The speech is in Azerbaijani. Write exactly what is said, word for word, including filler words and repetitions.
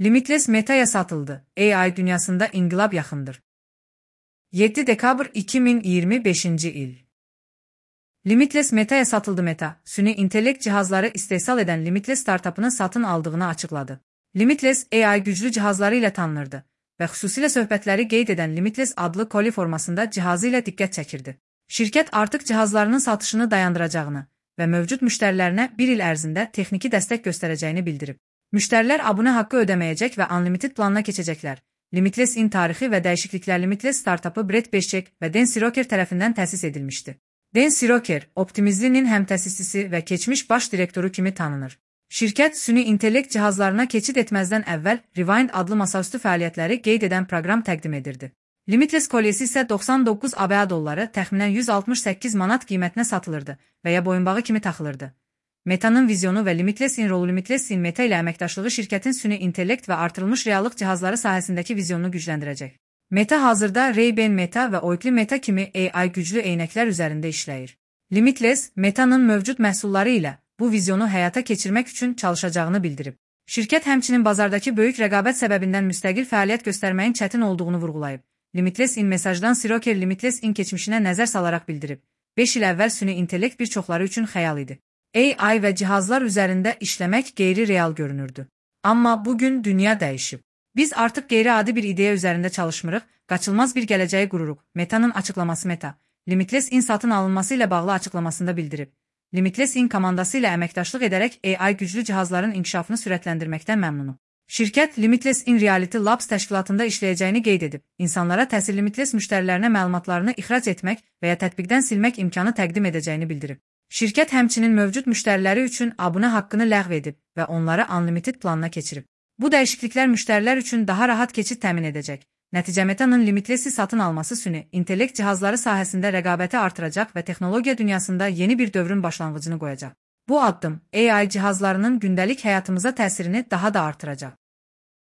Limitless Meta'ya satıldı. A I dünyasında inkılap yakındır. yedi dekabr iki bin yirmi beşinci il. Limitless Meta'ya satıldı. Meta, süni intellekt cihazları istehsal eden Limitless startup'ını satın aldığını açıkladı. Limitless, A I güclü cihazları ile tanınırdı və xüsusilə söhbətləri qeyd edən Limitless adlı koli formasında cihazı ilə diqqət çəkirdi. Şirkət artıq cihazlarının satışını dayandıracağını və mövcud müştərilərinə bir il ərzində texniki dəstək göstərəcəyini bildirib. Müştərilər abunə haqqı ödəməyəcək və Unlimited planına keçəcəklər. Limitless in tarixi və dəyişikliklər. Limitless startupı Brett Beşçek və Dan Siroker tərəfindən təsis edilmişdi. Dan Siroker, Optimizlinin həm təsisçisi və keçmiş baş direktoru kimi tanınır. Şirkət süni intellekt cihazlarına keçid etməzdən əvvəl Rewind adlı masaüstü fəaliyyətləri qeyd edən proqram təqdim edirdi. Limitless kolyesi isə doxsan doqquz ABŞ dolları, təxminən yüz altmış səkkiz manat qiymətinə satılırdı və ya boyunbağı kimi taxılırdı. Meta'nın vizyonu və Limitless in rolu. Limitless in Meta ilə əməkdaşlığı şirkətin süni intellekt və artırılmış reallıq cihazları sahəsindəki vizyonunu gücləndirəcək. Meta hazırda Ray-Ban Meta və Oakley Meta kimi A I güclü eynəklər üzərində işləyir. Limitless, Meta'nın mövcud məhsulları ilə bu vizyonu həyata keçirmək üçün çalışacağını bildirib. Şirkət həmçinin bazardakı böyük rəqabət səbəbindən müstəqil fəaliyyət göstərməyin çətin olduğunu vurğulayıb. Limitless in mesajdan Siroker Limitless in keçmişinə nəzər salaraq bildirib. beş il əvvəl süni intellekt bir çoxları üçün xəyal idi. A I və cihazlar üzərində işləmək qeyri-real görünürdü. Amma bugün dünya dəyişib. Biz artıq qeyri-adi bir ideya üzərində çalışmırıq, qaçılmaz bir gələcəyi qururuq. Meta'nın açıqlaması. Meta, Limitless in satın alınması ilə bağlı açıqlamasında bildirib. Limitless in komandası ilə əməkdaşlıq edərək A I güclü cihazların inkişafını sürətləndirməkdən məmnunum. Şirkət Limitless in Reality Labs təşkilatında işləyəcəyini qeyd edib. İnsanlara təsir Limitless müştərilərinə məlumatlarını ixrac etmək və ya tətbiqdən silmək imkanı təqdim edəcəyini bildirib. Şirkət həmçinin mövcud müştəriləri üçün abunə haqqını ləğv edib və onları Unlimited planına keçirib. Bu dəyişikliklər müştərilər üçün daha rahat keçid təmin edəcək. Nəticə Meta'nın Limitless'i satın alması süni intellekt cihazları sahəsində rəqabəti artıracaq və texnologiya dünyasında yeni bir dövrün başlanğıcını qoyacaq. Bu addım A I cihazlarının gündəlik həyatımıza təsirini daha da artıracaq.